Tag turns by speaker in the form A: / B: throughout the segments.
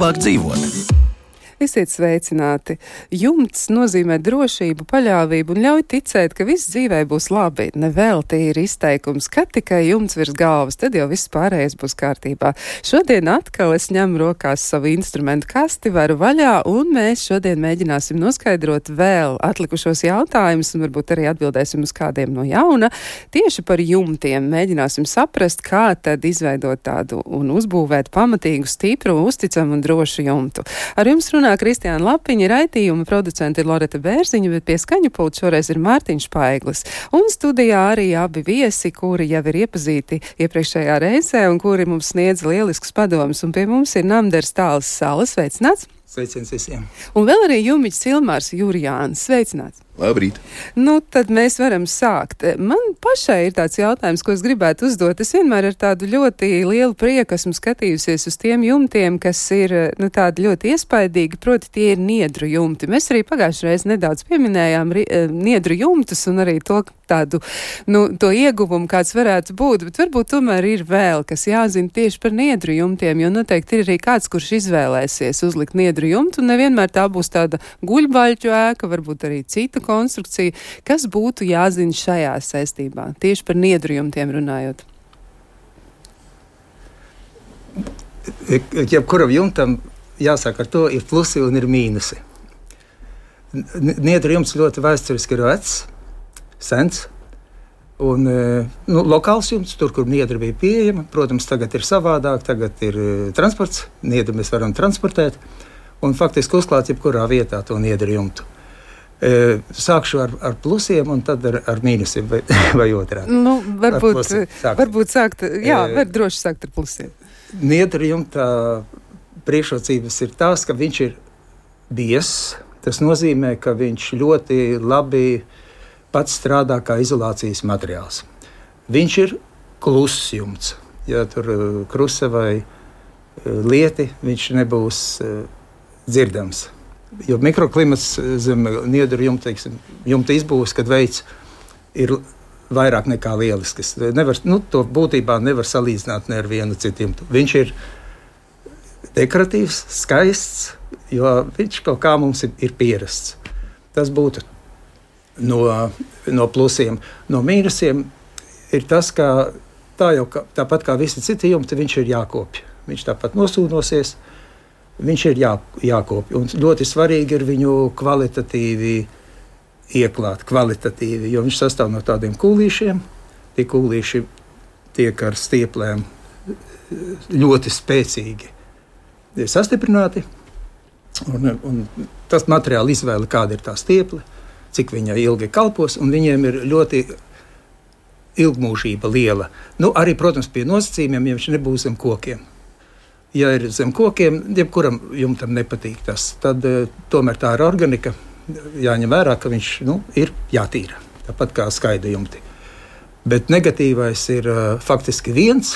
A: labāk dzīvot.
B: Esiet sveicināti! Jumts nozīmē drošību, paļāvību un ļauj ticēt, ka viss dzīvē būs labi. Nevelti ir izteikums, ka tikai jumts virs galvas, tad jau viss pārējais būs kārtībā. Šodien atkal es ņemu rokās savu instrumentu kasti, varu vaļā, un mēs šodien mēģināsim noskaidrot vēl atlikušos jautājumus, un varbūt arī atbildēsim uz kādiem no jauna. Tieši par jumtiem mēģināsim saprast, kā tad izveidot tādu un uzbūvēt pamatīgu, stipru, uzticamu un drošu jumtu. Ar jums runā Kristiāna Lapiņa, raidījuma producente ir Loreta Bērziņa, bet pie skaņu pulta šoreiz ir Mārtiņš Paiglis. Un studijā arī abi viesi, kuri jau ir iepazīti iepriekšējā reizē un kuri mums sniedz lieliskus padomus. Un pie mums ir Namders Tāles Salas. Sveicināts!
C: Sveiciens visiem!
B: Un vēl arī Jumiķis Ilmārs Jurjāns. Sveicināts!
D: Labrīt!
B: Nu, tad mēs varam sākt. Man pašai ir tāds jautājums, ko es gribētu uzdot. Es vienmēr ar tādu ļoti lielu prieku esmu skatījusies uz tiem jumtiem, kas ir, tādi ļoti iespaidīgi, proti tie ir niedru jumti. Mēs arī pagājušajā reizē nedaudz pieminējām niedru jumtus un arī to tādu, to ieguvumu, kāds varētu būt, bet varbūt tomēr ir vēl, kas jāzina tieši par niedru jumtiem, jo noteikti ir arī kāds, kurš izvēlēsies uzlikt niedru jumtu, un nevienmēr tā būs tāda guļbaļķu ēka, varbūt arī cita konstrukcija. Kas būtu jāzina šajā saistībā, tieši par niedru jumtiem runājot?
C: Jebkuram jumtam jāsāk ar to, ir plusi un ir mīnusi. Niedru jumts ļoti vēsturiski ir vecs, sens, un lokāls jumts, tur, kur niedra bija pieejama. Protams, tagad ir savādāk, tagad ir transports, niedru mēs varam transportēt, un faktiski uzklāt jebkurā vietā to niedru jumtu. Sākšu ar plusiem un tad ar mīnusiem vai otrādi.
B: Varbūt sākt, var droši sākt ar plusiem.
C: Niedra jumta priekšrocības ir tās, ka viņš ir biezs. Tas nozīmē, ka viņš ļoti labi pats strādā kā izolācijas materiāls. Viņš ir kluss jumts. Ja tur krusa vai lieti, viņš nebūs dzirdams. Jo mikroklimats zem niedru jumta izbūves, kad veids ir vairāk nekā lielisks. To būtībā nevar salīdzināt ne ar vienu citu jumtu. Viņš ir dekoratīvs, skaists, jo viņš kaut kā mums ir pierasts. Tas būtu no plusiem. No mīnusiem ir tas, ka tāpat kā visi citi jumti, viņš ir jākopj. Viņš tāpat nosūnosies. Viņš ir jākopj, un ļoti svarīgi ir viņu kvalitatīvi ieklāt, jo viņš sastāv no tādiem kūlīšiem. Tie kūlīši tiek ar stieplēm ļoti spēcīgi sastiprināti, un tas materiāla izvēle, kāda ir tā stieple, cik viņa ilgi kalpos, un viņiem ir ļoti ilgmūžība liela. Arī, protams, pie nosacījumiem, ja viņš nebūs zem kokiem. Ja ir zem kokiem, jebkuram jumtam nepatīk tas, tad tomēr tā ir organika. Jāņem vērā, ka viņš ir jātīra, tāpat kā skaida jumti. Bet negatīvais ir faktiski viens,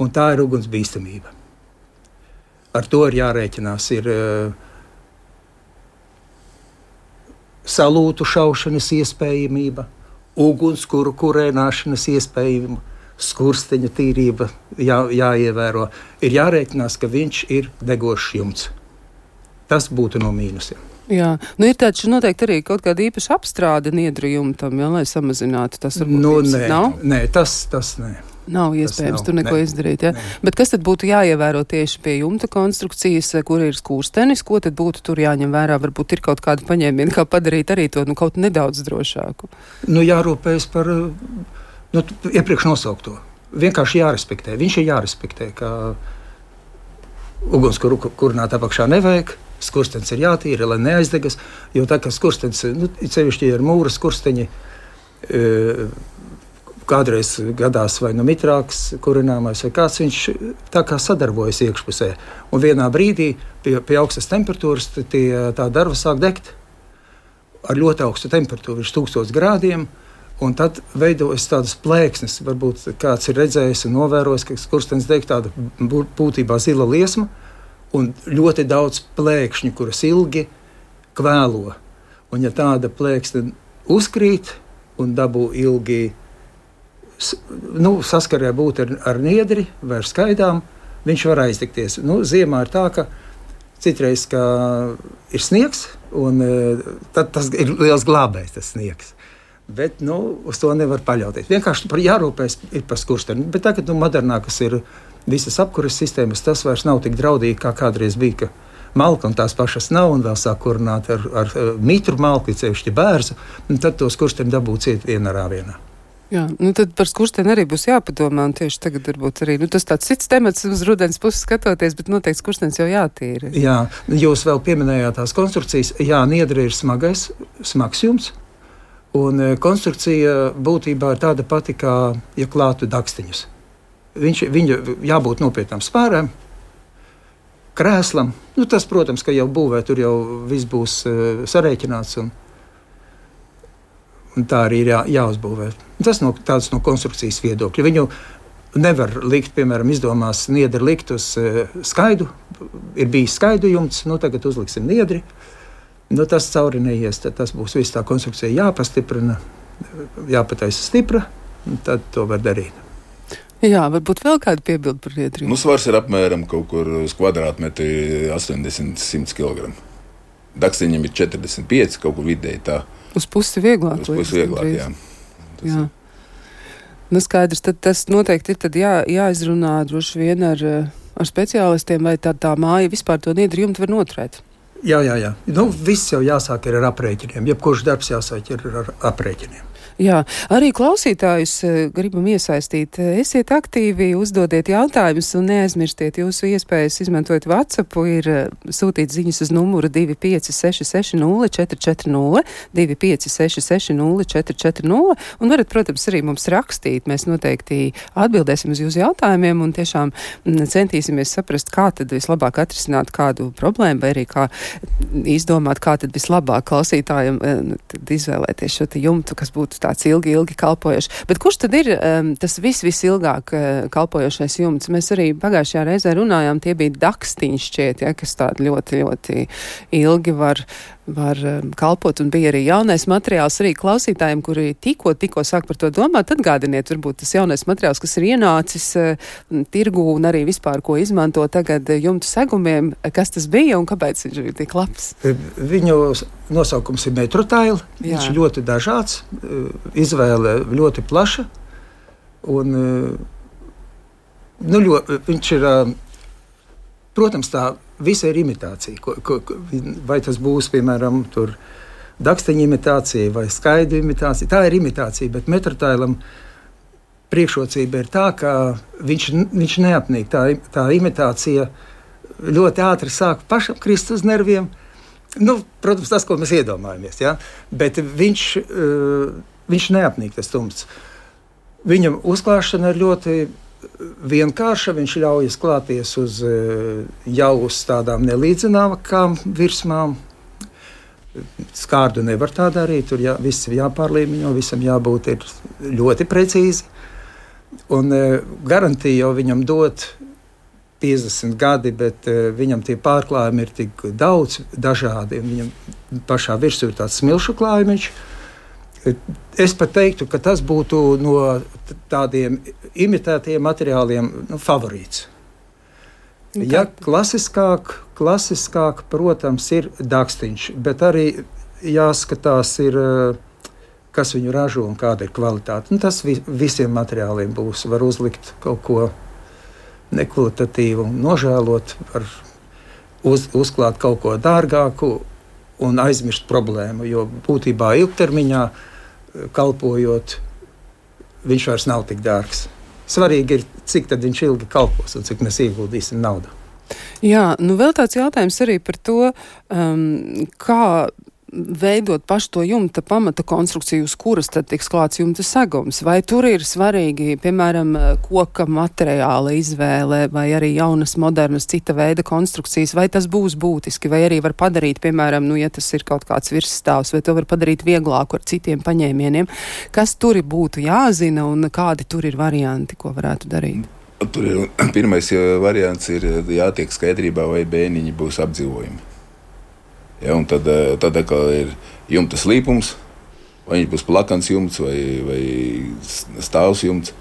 C: un tā ir ugunsbīstamība. Ar to ir jārēķinās. Ir salūtu šaušanas iespējamība, ugunskura kurēnāšanas iespējamība, skursteņa tīrība jāievēro. Ir jārēķinās, ka viņš ir degošs jumts. Tas būtu no mīnusiem.
B: Jā, ir taču noteikti arī kaut kāda īpaša apstrāde niedru jumtam, lai samazinātu tas varbūt.
C: Nē, tas nē.
B: Nav iespējams tur neko izdarīt, ja? Bet kas tad būtu jāievēro tieši pie jumta konstrukcijas, kur ir skurstenis? Ko tad būtu tur jāņem vērā? Varbūt ir kaut kāda paņēmiena, kā padarīt arī to kaut nedaudz drošāku?
C: Jārūpējas par iepriekš nosaukto. Vienkārši jārespektē. Viņš ir jārespektē, ka ugunskura kurināt apakšā nevajag, skurstenis ir jātīra, lai neaizdegas, jo tā kā skurstenis, cevišķi ar mūra skursteņi, kādreiz gadās vai mitrāks kurināmais vai kāds, viņš tā kā sadarbojas iekšpusē. Un vienā brīdī pie augstas temperatūras tā darba sāk degt ar ļoti augstu temperatūru, virs 1000 grādiem. Un tad veidojas tādas plēksnes. Varbūt kāds ir redzējis un novērojis, ka skurstenis deg tāda būtībā zila liesma un ļoti daudz plēkšņu, kuras ilgi kvēlo. Un ja tāda plēksne uzkrīt un dabū ilgi saskarē būt ar niedri vai ar skaidām, viņš var aizdegties. Ziemā ir tā, ka citreiz, ka ir sniegs, un tad tas ir liels glābējs, tas sniegs. Bet uz to nevar paļauties. Vienkārši jārūpēs par skursteni. Bet tagad modernākas ir visas apkuras sistēmas, tas vairs nav tik draudīgi, kā kādreiz bija, ka malka un tās pašas nav, un vēl sāk kurināt ar mitru malku, cevišķi bērzu, un tad to skursteni dabūt ciet vienā rāvienā.
B: Jā, tad par skursteni arī būs jāpadomā, un tieši tagad varbūt arī, tas tāds cits temats uz rudens puses skatoties, bet noteikti skurstenis jau jātīra.
C: Jā, jūs vēl pieminējāt tās konstrukcijas. Jā, niedre ir smags jumts, un konstrukcija būtībā ir tāda pati, kā, ja klātu dakstiņus. Viņa jābūt nopietnām spārēm, krēslam. Tas, protams, ka jau būvē, tur jau viss būs sarēķināts, un tā arī ir jāuzbūvē. Tas tāds no konstrukcijas viedokļa. Viņu nevar likt, piemēram, izdomās niedri likt uz skaidu. Ir bijis skaidu jumts, tagad uzliksim niedri. Tas cauri neies, tad tas būs viss tā konstrukcija jāpastiprina, jāpataisa stipra, un tad to var darīt.
B: Jā, varbūt vēl kāda piebilda par niedri.
A: Svars ir apmēram kaut kur uz kvadrātmetri 80-100 kg. Dakstiņam ir 45, kaut kur vidēji tā.
B: Uz pusi vieglāk.
A: Uz pusi vieglāk, jā.
B: Jā. Skaidrs, tad tas noteikti ir tad jāizrunā droši vien ar speciālistiem, vai tā māja vispār to niedri jumtu var noturēt.
C: Jā. Viss jau jāsāk ar aprēķiniem. Jebkurš darbs jāsāk ar aprēķiniem.
B: Jā, arī klausītājus gribam iesaistīt. Esiet aktīvi, uzdodiet jautājumus un neaizmirstiet jūsu iespējas izmantot WhatsApp. Ir sūtīt ziņas uz numuru 2566 0440, 2566 0440, un varat, protams, arī mums rakstīt. Mēs noteikti atbildēsim uz jūsu jautājumiem un tiešām centīsimies saprast, kā tad vislabāk atrisināt kādu problēmu, vai arī kā izdomāt, kā tad vislabāk klausītājiem tad izvēlēties šo jumtu, kas būtu tāds ilgi kalpojošs. Bet kurš tad ir tas visilgāk kalpojošais jumts? Mēs arī pagājušajā reizē runājām, tie bija dakstiņi šķiet, kas tādi ļoti, ļoti ilgi var kalpot, un bija arī jaunais materiāls arī klausītājiem, kuri tikko sāk par to domāt. Atgādiniet, varbūt tas jaunais materiāls, kas ir ienācis tirgū un arī vispār, ko izmanto tagad jumtu segumiem, kas tas bija un kāpēc viņš ir tik labs?
C: Viņu nosaukums ir Metrotail. Viņš ir ļoti dažāds, izvēle ļoti plaša, un viņš ir, protams, tā visa ir imitācija. Vai tas būs, piemēram, daksteņa imitācija vai skaidu imitācija. Tā ir imitācija, bet Metrotailam priekšrocība ir tā, ka viņš neapnīk. Tā imitācija ļoti ātri sāk pašam krist uz nerviem. Protams, tas, ko mēs iedomājamies, ja? Bet viņš neapnīk tas tumts. Viņam uzklāšana ir ļoti vienkārša, viņš ļaujas klāties jau uz tādām nelīdzināmākām virsmām. Skārdu nevar tā darīt, tur viss ir jāpārlīmeņo, visam jābūt ļoti precīzi. Un garantija jau viņam dot 50 gadi, bet viņam tie pārklājumi ir tik daudz dažādi. Viņam pašā virsū ir tāds smilšu klājumiņš. Es pat teiktu, ka tas būtu no tādiem imitētiem materiāliem favorīts. Ja klasiskāk, protams, ir dakstiņš, bet arī jāskatās, kas viņu ražo un kāda ir kvalitāte. Tas visiem materiāliem būs. Var uzlikt kaut ko nekvalitatīvu, nožēlot, var uzklāt kaut ko dārgāku un aizmirst problēmu, jo būtībā ilgtermiņā kalpojot, viņš vairs nav tik dārgs. Svarīgi ir, cik tad viņš ilgi kalpos un cik mēs ieguldīsim naudu.
B: Jā, vēl tāds jautājums arī par to, kā veidot pašu to jumta pamata konstrukciju, uz kuras tad tiks klāts jumta segums. Vai tur ir svarīgi, piemēram, koka materiāla izvēle vai arī jaunas, modernas, cita veida konstrukcijas, vai tas būs būtiski, vai arī var padarīt, piemēram, ja tas ir kaut kāds virsstāvs, vai to var padarīt vieglāku ar citiem paņēmieniem. Kas tur būtu jāzina un kādi tur ir varianti, ko varētu darīt?
A: Tur ir pirmais variants ir jātiek skaidrībā, vai bēniņi būs apdzīvojumi. Ja, un tad atkal ir jumta slīpums, vai viņš būs plakans jumts vai stāvs jumts.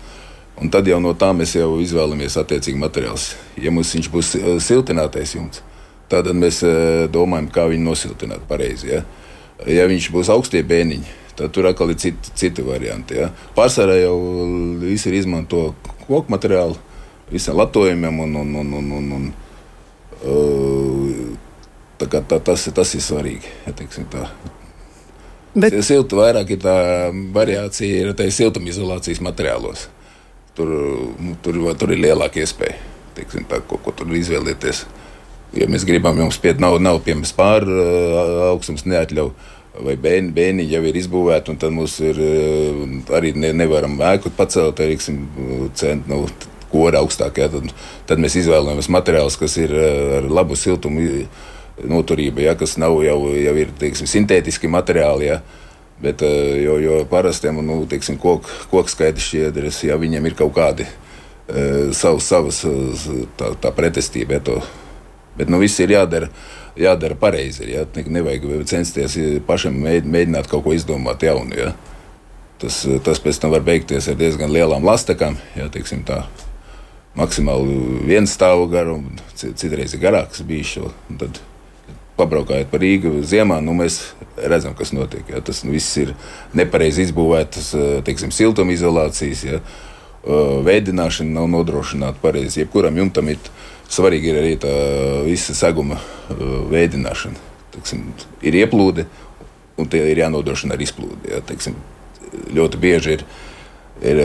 A: Un tad jau no tā mēs jau izvēlamies attiecīgi materiāls. Ja viņš būs siltinātais jumts, Tātad mēs domājam, kā viņu nosiltināt pareizi. Ja, ja viņš būs augstie bēniņi, tad tur atkal ir citi varianti. Ja. Pārsvarā jau visi ir izmanto koku materiālu visiem latojumiem un tas ir svarīgi. Ja, teiksim tā. Bet vairāk ir tā variācija ir siltumizolācijas materiālos. Tur ir lielāka iespēja, teiksim tā, ko tur izvēlēties. Ja mēs gribam jums nav piemērs augstums neatļauj, vai bēniņi jau ir izbūvēti, un tad mums ir arī nevaram ēku pacelt, teiksim, kora augstāk. Ja, tad mēs izvēlamies materiālus, kas ir ar labu siltumu noturību, ja, kas nav jau ir, teiksim, sintētiski materiāli, ja, bet jo parastiem, teiksim, koku skaidrs šķiedras, ja viņiem ir kaut kādi savas tā pretestība, ja, bet viss ir jādara pareizi. Ja? Nevajag censties pašam mēģināt kaut ko izdomāt jaunu. Ja? Tas pēc tam var beigties ar diezgan lielām lastekām. Ja? Teiksim, tā, maksimāli viens stāvu garu, citreiz ir garāks bijis. Tad pabraukājot par Rīgu ziemā, mēs redzam, kas notiek. Ja? Tas viss ir nepareizi izbūvētas, teiksim, siltumizolācijas. Ja? Veidināšana nav nodrošināta pareizi. Jebkuram jumtam svarīgi ir arī tā visa seguma veidināšana. Teiksim, ir ieplūde, un tie ir jānodrošina arī izplūde. Ja, teiksim, ļoti bieži ir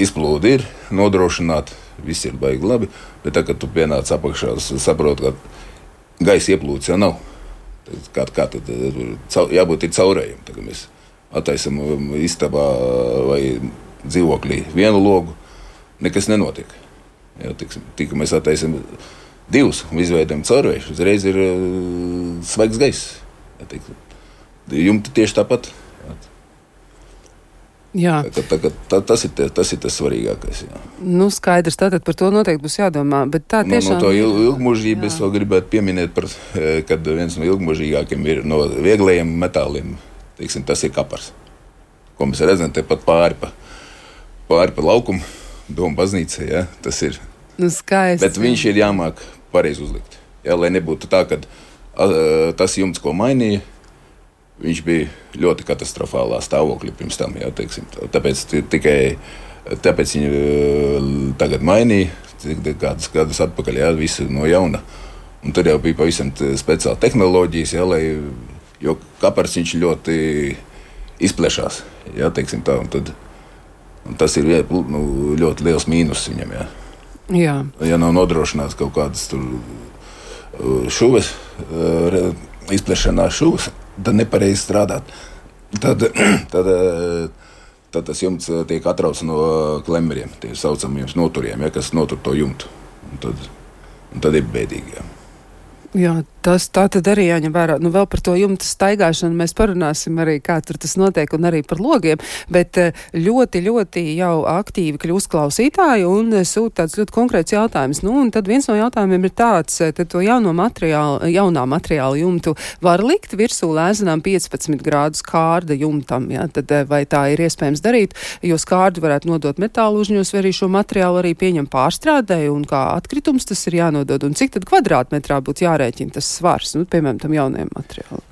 A: izplūde nodrošināta, viss ir baigi labi, bet tā, kad tu pienāc apakšā, saproti, ka gaisa ieplūdes jau nav. Kā tad jābūt caurējiem. Tagad mēs attaisam istabā vai dzīvoklī vienu logu, nekas nenotiek. Ja, tik mēs attaisam divus un izveidojam caurvēju, uzreiz ir svaigs gaiss. Ja, jumti tieši tāpat.
B: Jā.
A: Tas ir tas svarīgākais. Jā.
B: Skaidrs, tātad par to noteikti būs jādomā. Bet tā tiešām...
A: No to ilgmūžību es vēl gribētu pieminēt, kad viens no ilgmūžīgākiem ir no vieglajiem metāliem. Teiksim, tas ir kapars, ko mēs redzam tepat pāri pa laukumu. Doma baznīca, ja, tas ir.
B: Skaisti.
A: Bet viņš ir jāmāk pareizi uzlikt. Ja, lai nebūtu tā, ka tas jumts, ko mainīja, viņš bija ļoti katastrofālā stāvoklī pirms tam. Ja, teiksim, tāpēc viņi tagad mainīja, kādus gadus atpakaļ, ja, visu no jauna. Un tur jau bija pavisam speciāla tehnoloģijas, ja, jo kapars viņš ļoti izplešās. Ja, teiksim, tā, un tas ir ļoti liels mīnus viņam. Ja.
B: Jā.
A: Ja nav nodrošināts kaut kādas šuves, izplešanās šuves, tad nepareizi strādāt. Tad tas jumts tiek atrauts no klemmeriem, tie saucamiem noturiem, ja, kas notur to jumtu. Un tad ir bēdīgi. Ja.
B: Jā, tas tā tad arī jāņem vērā. Vēl par to jumta staigāšanu mēs parunāsim arī, kā tur tas notiek, un arī par logiem, bet ļoti, ļoti jau aktīvi kļūst klausītāji un sūta tāds ļoti konkrēts jautājums. Un tad viens no jautājumiem ir tāds, tad to jaunā materiāla jumtu var likt virsū lēzenām 15 grādus kārda jumtam, ja? Tad vai tā ir iespējams darīt, jo skārdu varētu nodot metālu uzņos, vai arī šo materiālu arī pieņem pārstrādē, un kā atkritums tas ir jānodod, un cik tad kvadrātmetrā būtu jārēķina tas svars, piemēram, tam jaunajam materiālam?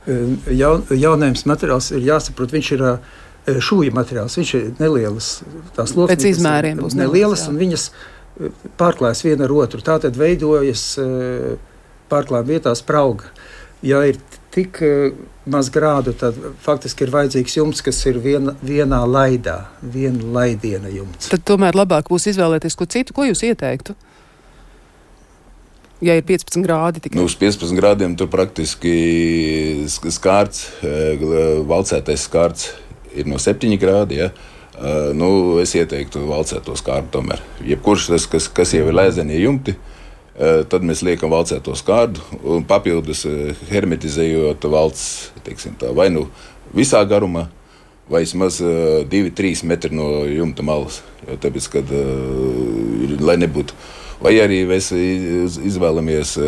C: Jaunajams materiāls ir jāsaprot, viņš ir šūja materiāls, viņš ir nelielas, tās loksnes.
B: Pēc izmēriem būs
C: nelielas, un viņas pārklājas viena ar otru. Tātad veidojas pārklājuma vietā sprauga. Ja ir tik maz grādu, tad faktiski ir vajadzīgs jumts, kas ir vienā laidā, viena laidiena jumts.
B: Tad tomēr labāk būs izvēlēties ko citu. Ko jūs ieteiktu? Ja ir 15 grādi tikai.
A: Uz 15 grādiem tur praktiski skārts, valcētais skārts ir no 7 grādi. Ja. Es ieteiktu valcēto skārdu tomēr. Jebkurš tas, kas jau ir lēzenie jumti, tad mēs liekam valcēto skārdu un papildus hermetizējot valcs, teiksim tā, vai visā garumā, vai vismaz 2-3 metri no jumta malas. Jo tāpēc, kad lai nebūtu. Vai arī mēs izvēlamies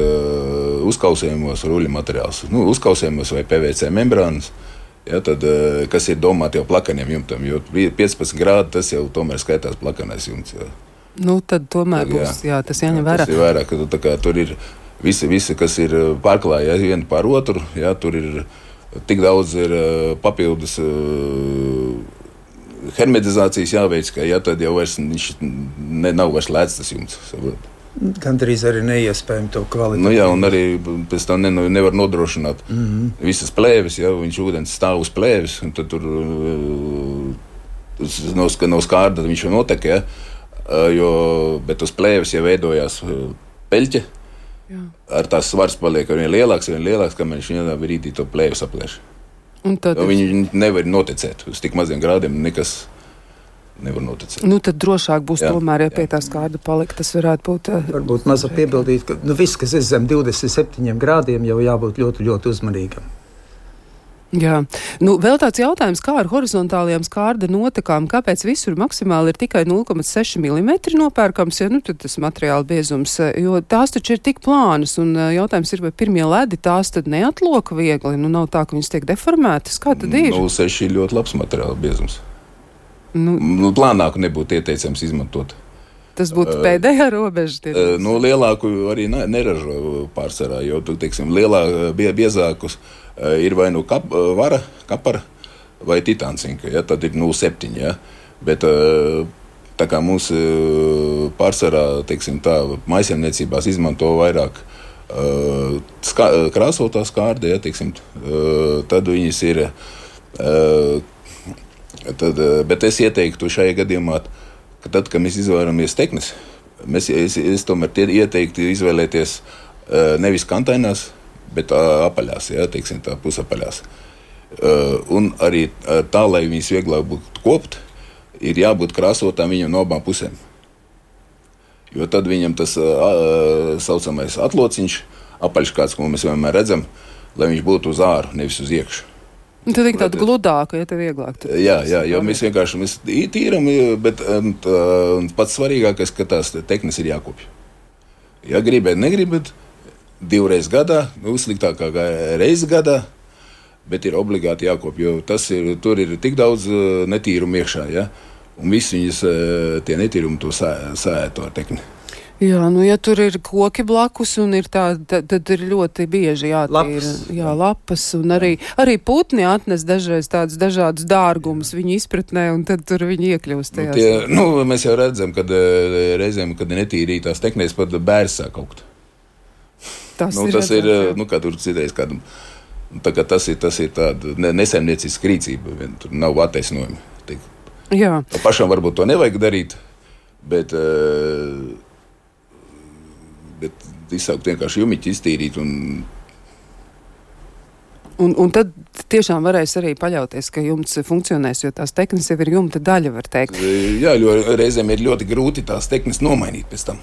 A: uzkausējumos ruļu materiālus. Uzkausējumos vai PVC membrānas, ja, tad, kas ir domāti jau plakaniem jumtam. Jo 15 grādi tas jau tomēr skaitās plakanais jumts. Ja.
B: Tad tomēr būs, jā, tas jāņem vērā.
A: Tas ir vairāk, ka tur ir Visi, kas ir pārklāja vienu pār otru, jā, tur ir tik daudz papildus hermetizācijas jāveic, ka tad jau viņš nav vairs lēts tas jumts.
C: Gandrīz arī neiespējami to kvalitāti.
A: Nu jā, un arī pēc tam nevar nodrošināt visas plēves, ja viņš ūdens stāv uz plēves, un tad tur no skārda viņš jau notek, ja, bet uz plēves jau veidojās peļķe, ar tās svars paliek ar vien lielāks, kamēr viņš vienā brīdī to plēves aplēš. Viņi nevar noticēt, uz tik maziem grādiem nekas nevar noticēt.
B: Nu, tad drošāk būs tomēr, ja pie tā skārda palikt, tas varētu būt...
C: Varbūt maza piebildīt, ka viss, kas ir zem 27 grādiem, jau jābūt ļoti, ļoti uzmanīgam.
B: Jā. Nu, vēl tāds jautājums, kā ar horizontālajām skārda notekām, kāpēc visur maksimāli ir tikai 0,6 mm nopērkams, ja tad tas materiāla biezums, jo tās taču ir tik plānas, un jautājums ir, vai pirmie ledi tās tad neatloka viegli, nav tā, ka viņas tiek deformētas, kā tad ir?
A: 0,6 ir ļoti labs materiāla biezums. Plānāku nebūtu ieteicams izmantot.
B: Tas būtu pēdējā robeža?
A: Lielāku arī neražo pārsvarā, jo, teiksim, biezākus ir vai vara, kapara vai titāncinka, ja, tad ir 0,7, ja, bet tā kā mums pārsvarā, teiksim tā, maisaimniecībās izmanto vairāk krāsotā skārda, ja, teiksim, tad viņas ir... Bet es ieteiktu šajā gadījumā, ka tad, kad mēs izvēlamies teknes, es tomēr ieteiktu izvēlēties nevis kantainās, bet apaļās, ja, teiksim tā, pusapaļās. Un arī tā, lai viņas vieglāk būtu kopt, ir jābūt krāsotām viņam no abām pusēm. Jo tad viņam tas saucamais atlociņš, apaļš kāds, ko mēs vienmēr redzam, lai viņš būtu uz āru, nevis uz iekšu.
B: Tad ir tāda gludāka, ja te vieglāk.
A: Jā, jo mēs vienkārši tīram, bet pats svarīgākais, ka tās teknes ir jākopja. Ja gribat, negribat, 2 reizes gadā, sliktākā reizi gadā, bet ir obligāti jākopja, jo tur ir tik daudz netīrumu iekšā, ja, un visi viņas tie netīrumi to sēto ar tekni.
B: Jā, ja tur ir koki blakus un ir tad ir ļoti bieži jātīra lapas, un arī putni atnes dažreiz tādus dažādus dārgumus viņu izpratnē, un tad tur viņi iekļūst tajās.
A: Mēs jau redzam, kad reizēm, kad ir netīrītās teknēs, pat bērs sāk augt. Tas ir, kā tur citreiz kādam, tā kā tas ir tāda nesaimnieciska rīcība, tur nav attaisnojumi.
B: Jā.
A: Pašam varbūt to nevajag darīt, bet izsaukt vienkārši jumiķi iztīrīt
B: un tad tiešām varēs arī paļauties, ka jumts funkcionēs, jo tās teknes jau ir jumta daļa, var teikt.
A: Jā, jo reizēm ir ļoti grūti tās teknes nomainīt pēc tam.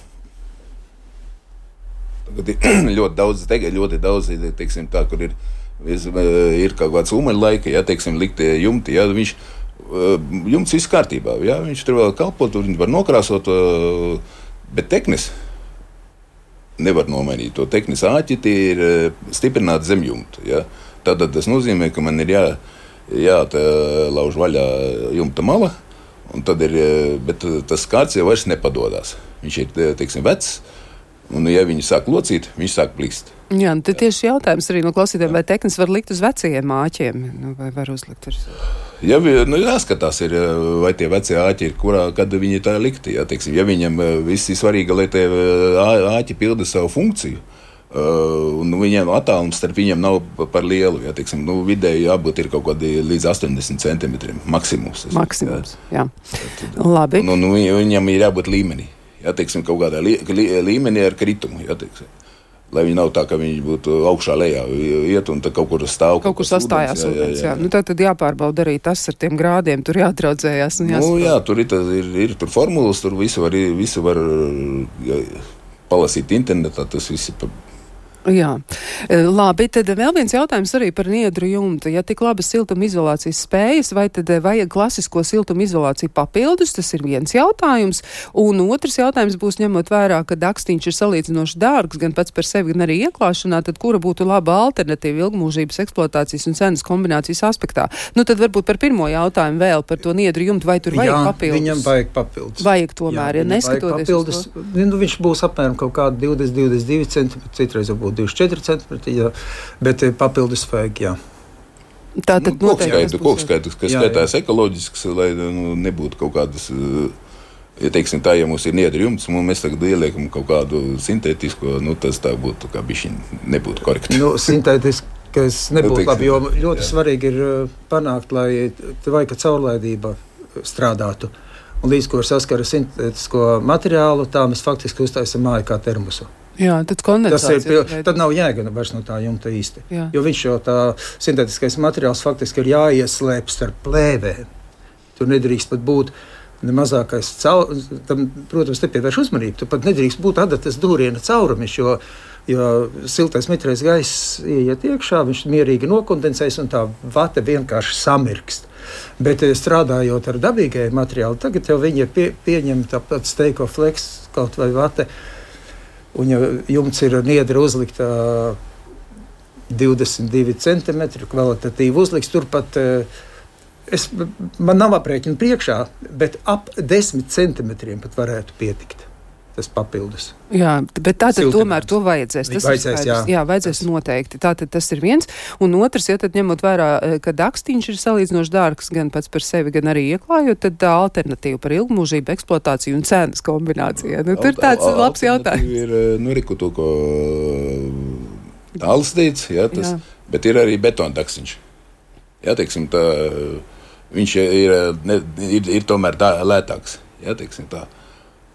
A: Tagad ir ļoti daudz, teiksim tā, kur ir kaut kāds umeļlaika, ja, teiksim, likt jumti, ja, jumts viss kārtībā, ja, viņš tur vēl kalpo, tur viņi var nokrāsot, bet teknes nevar nomainīt. To teknis āķi ir stiprināti zem jumta. Ja? Tātad tas nozīmē, ka man ir jālauž vaļā jumta mala, un tad bet tas skārds jau vairs nepadodās. Viņš ir, teiksim, vecs, un ja viņi sāk locīt, viņš sāk plīst.
B: Jā, tad tieši jautājums arī no klausītājiem, vai teknis var likt uz vecajiem āķiem, vai var uzlikt uz...
A: Jāskatās, vai tie vecie āķi ir, kad viņi tā likti. Ja, teiksim, ja viņam viss ir svarīgi, lai tie āķi pilda savu funkciju, un viņiem attālums starp viņiem nav par lielu. Ja, teiksim, vidēji jābūt ir kaut kādi līdz 80 centimetriem maksimums.
B: Maksimums, jā. Labi.
A: Un viņam ir jābūt līmenī. Ja, teiksim, kaut kādā līmenī ar kritumu. Ja, teiksim. Lai viņi nav tā, ka viņi būtu augšā lejā iet un tad kaut kur stāv.
B: Kaut kur sastājās ūdens, jā. Tad jāpārbauda arī tas ar tiem grādiem, tur jātraudzējās un jāsaprot.
A: Jā, tur ir formulas, tur visu var palasīt internetā, tas viss ir
B: Jā, labi, tad vēl viens jautājums arī par niedru jumtu. Ja tik labas siltumizolācijas spējas, vai tad vajag klasisko siltumizolāciju papildus? Tas ir viens jautājums. Un otrs jautājums būs ņemot vērā, ka dakstiņš ir salīdzinoši dārgs gan pats par sevi, gan arī ieklāšanā, tad kura būtu laba alternatīva ilgmūžības eksploatācijas un cenas kombinācijas aspektā? Nu, tad varbūt par pirmo jautājumu vēl par to niedru jumtu, vai tur vajag papildus?
C: Viņam vajag papildus.
B: Vajag tomēr, ja neskatoties
C: papildus, uz to. Nu, viņš būs apmēram kaut kādi 22 centimetri, citreiz varbūt 24 centimetri, bet papildus vajag, jā.
B: Tātad
A: kokskaitu, kas skaitās ekoloģisks, lai nebūtu kaut kādas, ja teiksim tā, ja mums ir niedru jumts, un mēs tagad ieliekam kaut kādu sintētisko, tas tā būtu kā bišķiņ nebūtu korekti.
C: Sintētiskais nebūtu labi, jo ļoti svarīgi ir panākt, lai tvaika caurlaidība strādātu. Un līdz ko ir saskara sintētisko materiālu, tā mēs faktiski uztaisam māju kā termosu.
B: Jā, tad kondensācija.
C: Tad nav jēga vairs no tā jumta īsti. Jā. Jo viņš jau tā sintētiskais materiāls faktiski ir jāieslēp starp plēvēm. Tur nedrīkst pat būt ne mazākais caurums. Tam, protams, nepievērš uzmanību. Tur pat nedrīkst būt adatas dūriena caurumiņš, jo siltais mitrais gaiss ieiet iekšā, viņš mierīgi nokondensēs un tā vata vienkārši samirkst. Bet strādājot ar dabīgajiem materiālu, tagad jau viņi pieņem tāpat Steiko Flex kaut vai vate. Un ja jumts ir niedra uzlikta 22 centimetri, kvalitatīvi uzliks, turpat man nav aprēķina priekšā, bet ap 10 centimetriem pat varētu pietikt tas papildus.
B: Jā, bet tātad tomēr to vajadzēs. Tas
C: vajadzēs,
B: vajadzēs noteikti. Tātad tas ir viens. Un otrs, ja tad ņemot vērā, ka dakstiņš ir salīdzinoši dārgs gan pats par sevi, gan arī ieklājot, tad tā alternatīva par ilgmūžību, eksploatāciju un cenas kombinācijā. Tur tāds labs jautājums.
A: Ir to, ko Tālis teica, bet ir arī betona dakstiņš. Jā, teiksim, tā, viņš ir tomēr tā lētāks. Jā, teiksim tā.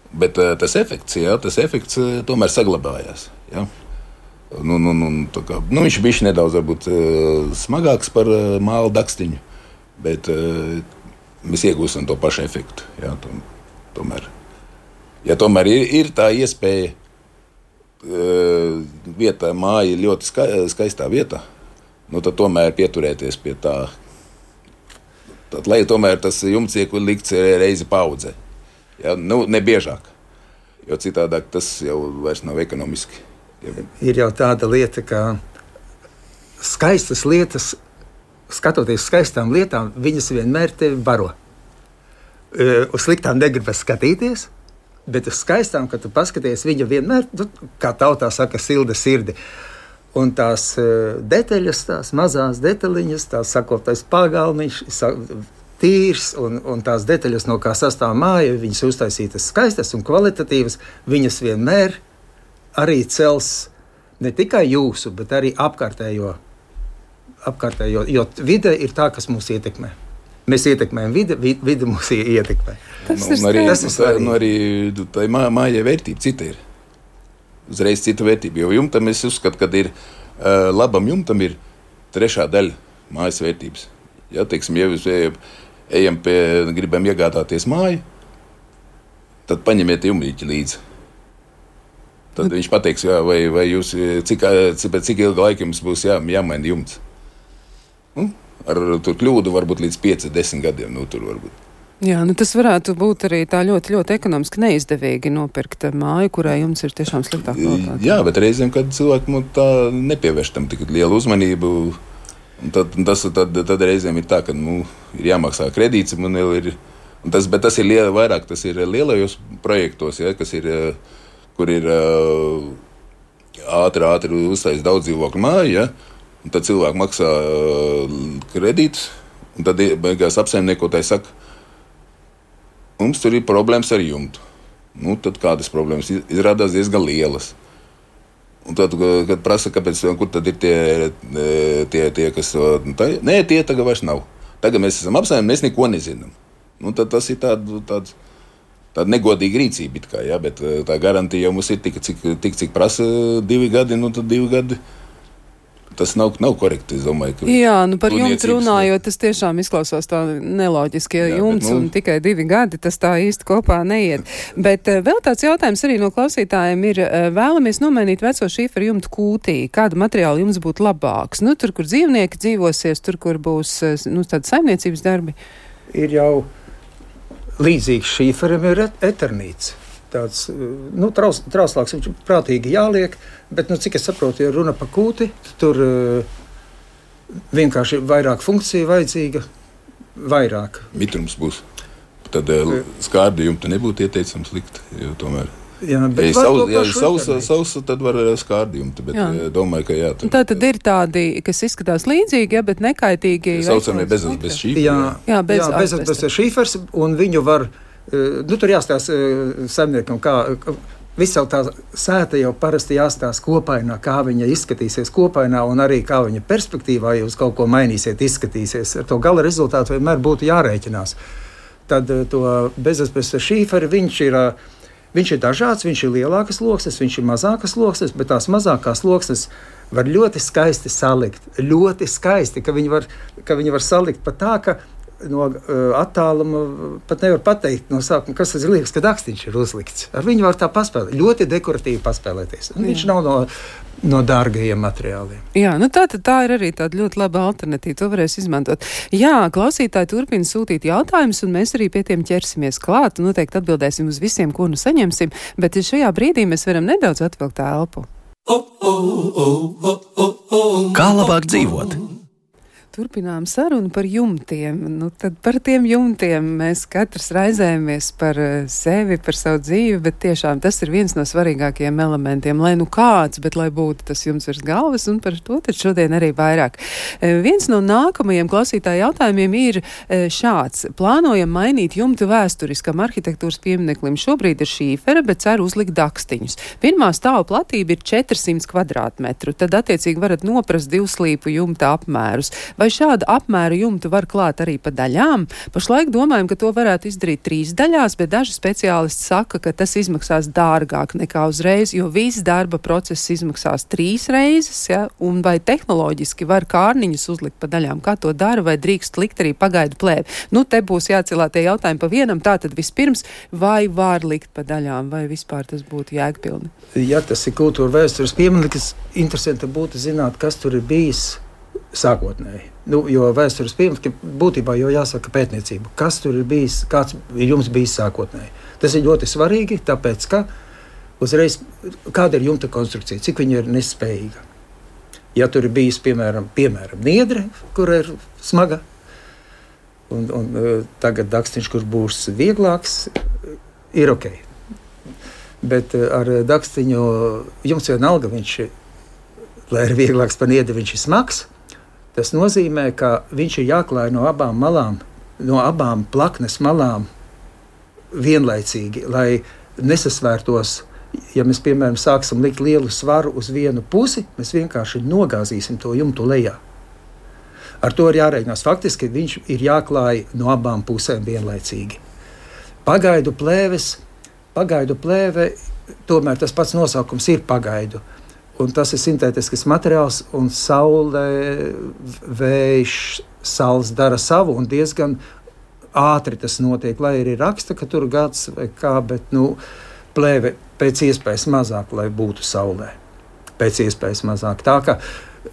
A: Bet tas efekts tomēr saglabājās. Ja? Viņš bija nedaudz varbūt, smagāks par māla dakstiņu, bet mēs iegūstam to pašu efektu. Ja? Tomēr ir tā iespēja, vietā māja ir ļoti skaistā vietā, tad tomēr pieturēties pie tā, lai tomēr tas jumts tiek likts reizi paudzē. Ja, ne biežāk, jo citādāk tas jau vairs nav ekonomiski.
C: Ir jau tāda lieta, ka skaistas lietas, skatoties skaistām lietām, viņas vienmēr tevi baro. Uz sliktām negribas skatīties, bet uz skaistām, kad tu paskaties, viņa vienmēr, kā tautā saka, silda sirdi. Un tās detaļas, tās mazās detaļiņas, tās sakoptais pagalmiņš, tīrs un tās detaļas, no kā sastāv māja, viņas uztaisītas skaistas un kvalitatīvas, viņas vienmēr arī cels ne tikai jūsu, bet arī apkārtējo, jo vide ir tā, kas mūs ietekmē. Mēs ietekmējam vide mūs ietekmē.
B: Tas ir
A: svarīgi. Arī tā mājai vērtība cita ir. Uzreiz cita vērtība, jo jumtam es uzskatu, ka ir labam jumtam ir 3. daļa mājas vērtības. Ja, teiksim, ja ejam gribam iegādāties māju, tad paņemiet jumrīķi līdzi. Tad viņš pateiks, vai jūs, cik ilga laika jums būs jāmaina jumts. Ar tur kļūdu varbūt līdz 5-10 gadiem. Tur varbūt.
B: Jā, tas varētu būt arī tā ļoti, ļoti ekonomiski neizdevīgi nopirkt māju, kurai jums ir tiešām sliktā kvalitāte. Jā, bet reizēm, kad cilvēki tā nepievērš tam tik lielu uzmanību, tad reizēm ir tā, ka ir jāmaksā kredīts, bet tas ir vairāk, tas ir lielajos projektos, ja, kas ir, kur ir ātri uztais daudz dzīvokļu māju, ja, un tad cilvēki maksā kredītus, un tad beigās apsaimniekotāji saka, mums tur ir problēmas ar jumtu. Tad kādas problēmas izrādās diezgan lielas. Un tad, kad prasa, kāpēc, kur tad ir tie kas... Nē, tie tagad vairs nav. Tagad mēs esam apsaimnieki, mēs neko nezinām. Tad tas ir tāda negodīga rīcība, kā, ja, bet tā garantija jau mums ir tik, cik prasa 2 gadi, tad 2 gadi
A: tas nav korekti, es domāju, ka...
B: Jā, par jumtu runājot, tas tiešām izklausās tā neloģiski, ja jumts un tikai 2 gadi, tas tā īsti kopā neiet. Bet vēl tāds jautājums arī no klausītājiem ir, vēlamies nomainīt veco šīferu jumtu kūtī, kāda materiāla jums būtu labāks? Tur, kur dzīvnieki dzīvosies, tur, kur būs, tādi saimniecības darbi?
C: Ir jau līdzīgs šīferim ir eternīts. Tāds, trauslāks viņš prātīgi jāliek, bet, cik es saprotu, ja runa pa kūti, tur vienkārši vairāk funkcija vajadzīga, vairāk.
A: Mitrums būs. Tad skārdi jumta nebūtu ieteicams likt, jo tomēr...
C: Jā,
A: ja sausa, tad var skārdi jumta, bet domāju, ka jā.
B: Tā tad ir tādi, kas izskatās līdzīgi, bet nekaitīgi.
A: Saucamie bezasbes šīferi.
C: Jā, bezasbes šīfers, un viņu var... tur jāstāsta saimniekam, kā visa tā sēta jau parasti jāstāsta kopainā, kā viņa izskatīsies kopainā un arī kā viņa perspektīvā, ja uz kaut ko mainīsiet, izskatīsies. Ar to gala rezultātu vienmēr būtu jārēķinās. Tad to bezasbes šīferi, viņš ir dažāds, viņš ir lielākas loksnes, viņš ir mazākas loksnes, bet tās mazākās loksnes var ļoti skaisti salikt. Ļoti skaisti, ka viņi var salikt pat tā, ka no attāluma pat nevar pateikt no sākuma, kas tas ir liekas, ka dakstiņš ir uzlikts. Ar viņu var tā paspēlēt, ļoti dekoratīvi paspēlēties. Un viņš nav no dārgajiem materiāliem.
B: Jā, tā ir arī tāda ļoti laba alternatīva, to varēs izmantot. Jā, klausītāji turpina sūtīt jautājumus, un mēs arī pie tiem ķersimies klāt, un noteikti atbildēsim uz visiem, ko saņemsim, bet šajā brīdī mēs varam nedaudz atvilkt elpu.
D: Kā labāk dzīvot?
B: Turpinām sarunu par jumtiem. Tad par tiem jumtiem mēs katrs raizējamies par sevi, par savu dzīvi, bet tiešām tas ir viens no svarīgākajiem elementiem. Lai kāds, bet lai būtu tas jumts virs galvas, un par to tad šodien arī vairāk. Viens no nākamajiem klausītāju jautājumiem ir šāds. Plānojam mainīt jumtu vēsturiskam arhitektūras piemineklim. Šobrīd ir šīfera, bet ceru uzlikt dakstiņus. Pirmā stāva platība ir 400 kvadrātmetru. Tad attiecīgi varat noprast 2 slīpu jumta apmērus. Vai šādu apmēru jumtu var klāt arī pa daļām? Pašlaik domājam, ka to varētu izdarīt 3 daļās, bet daži speciālisti saka, ka tas izmaksās dārgāk nekā uzreiz, jo viss darba process izmaksās 3 reizes, ja? Un vai tehnoloģiski var kārniņus uzlikt pa daļām? Kā to dara, vai drīkst likt arī pagaidu plēvi? Te būs jācilā tie jautājumi pa vienam, tātad vispirms, vai var likt pa daļām, vai vispār tas būtu jēgpilni?
C: Ja tas ir kultūra vēstures piemineklis, interesanti būtu zināt, kas tur ir bijis sākotnēji. Jo vēstures pieminekļi būtībā jau jāsaka pētniecību. Kas tur ir bijis, kāds ir jums bijis sākotnēji? Tas ir ļoti svarīgi, tāpēc, ka uzreiz kāda ir jumta konstrukcija, cik viņa ir nespējīga. Ja tur ir bijis, piemēram, niedre, kur ir smaga, un tagad dakstiņš, kur būs vieglāks, ir ok. Bet ar dakstiņu jums vienalga, lai ir vieglāks par niedri, viņš ir smags. Tas nozīmē, ka viņš ir jāklāj no abām malām, no abām plaknes malām vienlaicīgi, lai nesasvērtos. Ja mēs, piemēram, sāksim likt lielu svaru uz vienu pusi, mēs vienkārši nogāzīsim to jumtu lejā. Ar to ir jārēķinās. Faktiski viņš ir jāklāj no abām pusēm vienlaicīgi. Pagaidu plēve, tomēr tas pats nosaukums ir pagaidu. Un tas ir sintētisks materiāls, un saule, vējš, saules dara savu, un diezgan ātri tas notiek, lai arī raksta, ka tur gads vai kā, bet plēve pēc iespējas mazāk, lai būtu saulē. Pēc iespējas mazāk. Tā ka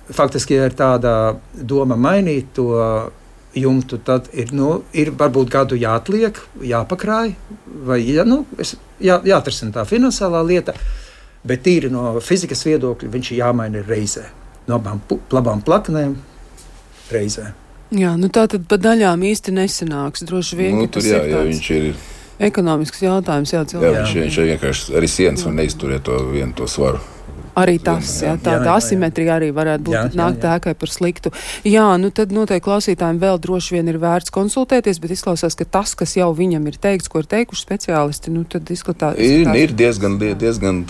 C: faktiski, ja ir tāda doma mainīt to jumtu, tad ir varbūt gadu jāatliek, jāpakrāj, vai jāatrisina tā finansiālā lieta. Bet tīri no fizikas viedokļa viņš ir jāmaina reizē. No abām plaknēm reizē.
B: Jā, tā tad pa daļām īsti nesanāks. Droši vien, ka tas ir tāds ekonomisks jautājums.
A: Viņš vienkārši arī sienas var neizturēt to svaru.
B: Arī tas, tāda asimetrija arī varētu būt nākt ēkai par sliktu. Jā, tad noteikti klausītājiem vēl droši vien ir vērts konsultēties, bet izklausās, ka tas, kas jau viņam ir teikts, ko ir teikuši speciālisti, tad izskatās.
A: Ir diezgan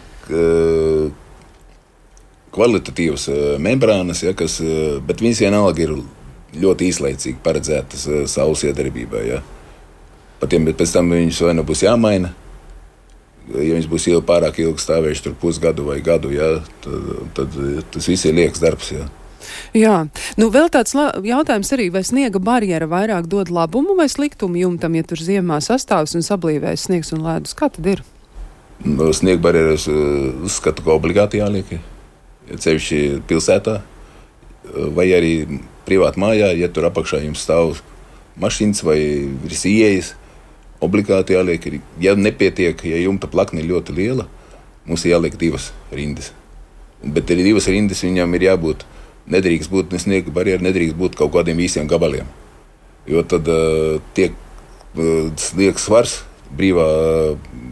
A: kvalitatīvas membrānas, bet viņas vienalga ir ļoti īslaicīgi paredzētas saules iedarbībai. Ja? Pēc tam viņus vai būs jāmaina. Ja viņas būs pārāk ilgi stāvējuši tur pusgadu vai gadu, tad tas viss ir liekas darbs. Ja?
B: Jā, vēl tāds jautājums arī, vai sniega barjera vairāk dod labumu vai sliktumu jumtam, ja tur ziemā sastāvs un sablīvēs sniegs un ledus? Kā tad ir?
A: Sniega barjeras uzskatu, ka obligāti jāliek, ja ceļš pilsētā, vai arī privāti mājā, ja tur apakšā jums stāv mašīnas vai virs ieejas, obligāti jāliek. Ja nepietiek, ja jumta plakne ir ļoti liela, mums ir jāliek 2 rindas. Bet arī 2 rindas viņam ir jābūt. Nedrīkst būt sniega barjera, nedrīkst būt kaut kādiem īsiem gabaliem. Jo tad tiek sniegs svars,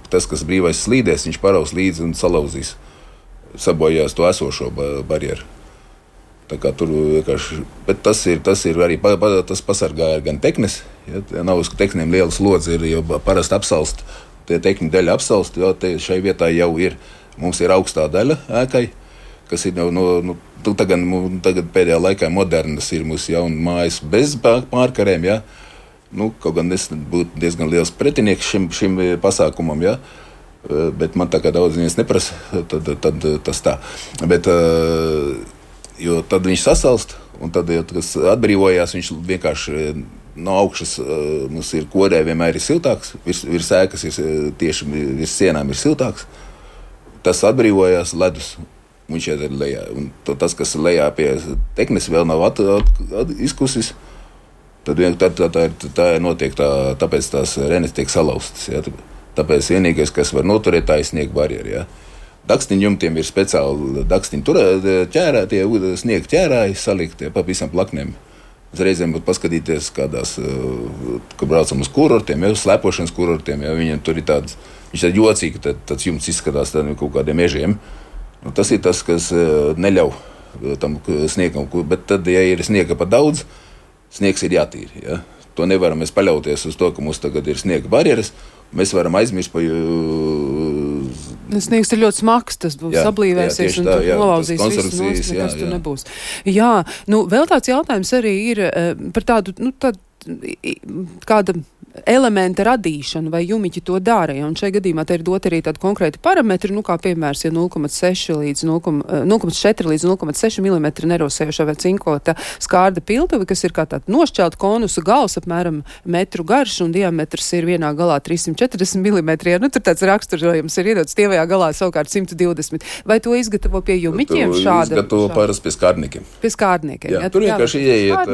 A: tas, kas brīvais slīdēs, viņš paraus līdzi un salauzīs, sabojās to esošo barjeru. Tā kā tur vienkārši, bet tas ir arī, tas pasargā gan teknes, ja, nav uz teknēm liela slodze, ir, jo parasti apsalst, tie tekņu daļa apsalst, jo šai vietā jau ir, mums ir augstā daļa ēkai, kas ir tagad pēdējā laikā modernas ir mūsu jauna mājas bez pārkarēm, ja. Kaut gan es būtu diezgan liels pretinieks šim pasākumam, ja. Bet man tā kā daudz viņas neprasa, tad tas tā. Bet, jo tad viņš sasalst, un tad, ja tas atbrīvojās, viņš vienkārši no augšas mums ir korē vienmēr ir siltāks, virs ēkas ir tieši virs sienām ir siltāks. Tas atbrīvojās ledus. Viņš iet lejā. Un tas, kas lejā pie teknes, vēl nav izkusis. Tad tā notiek, tāpēc tās renes tiek salauztas. Ja. Tāpēc vienīgais, kas var noturēt, tā ir sniega barjera. Ja. Dakstiņu jumtiem ir speciāli dakstiņu ķērātie, sniega ķērāji saliktie pa visam plaknēm. Reizēm paskatīties kādās, kad braucam uz kurortiem, ja, uz slēpošanas kurortiem, ja, viņam tur ir tāds, viņš ir jocīgi, tāds jumts izskatās kaut kādiem mežiem. Tas ir tas, kas neļauj tam sniegam, bet tad, ja ir sniega pa daudz, sniegs ir jātīra. Ja? To nevaram mēs paļauties uz to, ka mums tagad ir sniega barjeras, mēs varam aizmirst par...
B: Sniegs ir ļoti smags, tas būs sablīvēsies un tur nolauzīs visu nost, nekas tur nebūs. Jā, vēl tāds jautājums arī ir par tādu, kāda elementa radīšanu, vai jumiķi to dara. Ja? Un šajā gadījumā te ir dot arī tādu konkrētu parametru, kā piemērs, ja 0,4 līdz 0,6 mm nerosējuša vai cinkota skārda piltuve, kas ir kā tāda nošķelta konusa gals, apmēram metru garš, un diametrs ir vienā galā 340 mm. Ja? Tur tāds raksturojums ir iedots, tievajā galā savukārt 120. Vai to izgatavo pie jumiķiem šāda?
A: Izgatavo parasti pie skārdniekiem.
B: Pie skārdniekiem.
A: Jā, tur vienkārši ieiet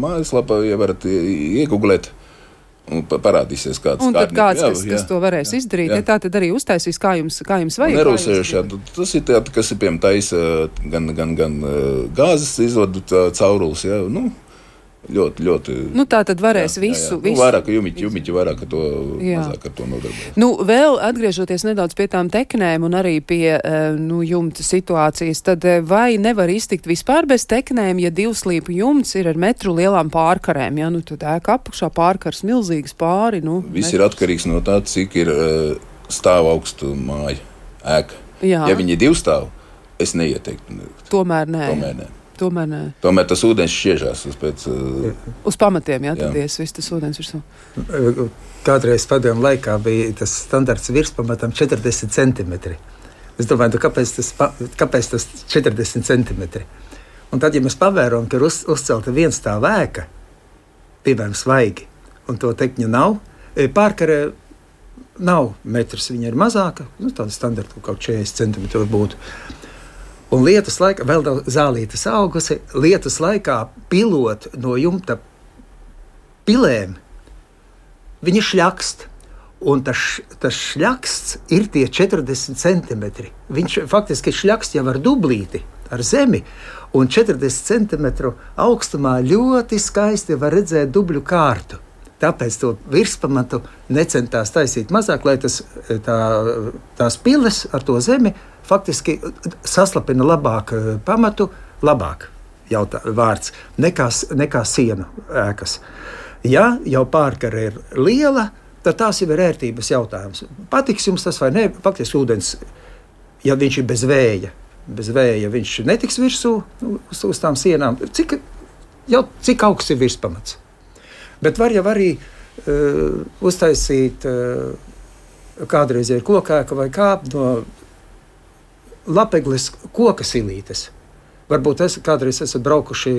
A: mājaslapā, ja varat iegooglēt. Un parādīsies kāds
B: un tad kāds, kas to varēs izdarīt, ja tā tad arī uztaisīs, kā jums vajag.
A: Nerūsējuši, tas ir tādi, kas ir piemēram taisa gan gāzes izvadu caurulis, ja, ļoti.
B: Tā tad varēs visu.
A: Vairāk jumiķi vairāk to mazāk ar to nodarbojas.
B: Vēl atgriežoties nedaudz pie tām teknēm un arī pie jumta situācijas, tad vai nevar iztikt vispār bez teknēm, ja 2 slīpu jumts ir ar metru lielām pārkarēm? Ja, tad ēka apakšā pārkars milzīgas pāri.
A: Viss ir atkarīgs no tā, cik ir stāv augstu māja ēka.
B: Jā.
A: Ja viņi ir 2 stāvu, es neieteiktu.
B: Tomēr nē.
A: Tomēr tas ūdens šķiežās
B: uz pamatiem, tad viss tas ūdens virsū.
C: Kādreiz padomu laikā bija tas standarts virspamatam 40 centimetri. Es domāju, kāpēc tas 40 centimetri? Un tad, ja mēs pavērojam, ka ir uzcelta viens tā ēka, piemēram, svaigi, un to tekņu nav, pārkarē nav metrs, viņa ir mazāka, tāda standarta kaut 40 centimetri būtu. Un lietus laikā, vēl daudz zālītes augusi, lietus laikā pilot no jumta pilēm, viņi šļakst. Un tas šļaksts ir tie 40 centimetri. Viņš faktiski šļakst jau ar dublīti, ar zemi. Un 40 centimetru augstumā ļoti skaisti var redzēt dubļu kārtu. Tāpēc to virspamatu necentās taisīt mazāk, lai tās piles ar to zemi faktiski saslapina labāk pamatu, labāk vārds, nekā sienu ēkas. Ja jau pārkare ir liela, tad tās jau ir ērtības jautājums. Patiks jums tas vai ne? Faktiski ūdens, ja viņš ir bez vēja viņš netiks virsū uz tām sienām. Cik augsts ir virspamats? Bet var jau arī uztaisīt kādreiz ir kokēka vai kāp no lapegles koka silītes. Varbūt kādreiz esat braukuši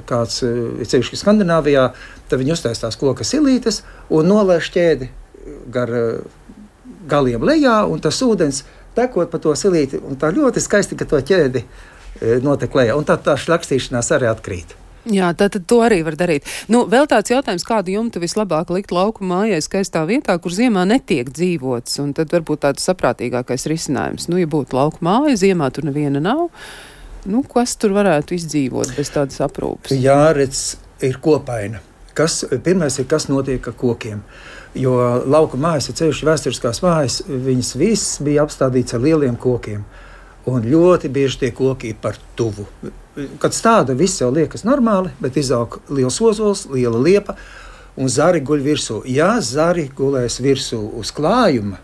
C: kāds, ceļš Skandināvijā, tad viņi uztais tās koka silītes un nolaiž ķēdi gar galiem lejā, un tas ūdens tekot pa to silīti, un tā ļoti skaisti, ka to ķēdi notek lejā, un tā šlakstīšanās arī atkrīt.
B: Jā, tad to arī var darīt. Nu, vēl tāds jautājums, kādu jumtu vislabāk likt lauku mājai skaistā vietā, kur ziemā netiek dzīvots, un tad varbūt tāds saprātīgākais risinājums. Nu, ja būtu lauku māja, ziemā tur neviena nav, nu, kas tur varētu izdzīvot bez tādas aprūpes?
C: Jā, redz, ir kopaina. Pirmais ir, kas notiek ar kokiem. Jo lauku mājas, ceļš vēsturiskās mājas, viņas viss bija apstādīts ar lieliem kokiem. Un ļoti bieži tie koki ir par tuvu. Kad stāda, viss jau liekas normāli, bet izaug liels ozols, liela liepa un zari guļ virsū. Ja zari gulēs virsū uz klājuma,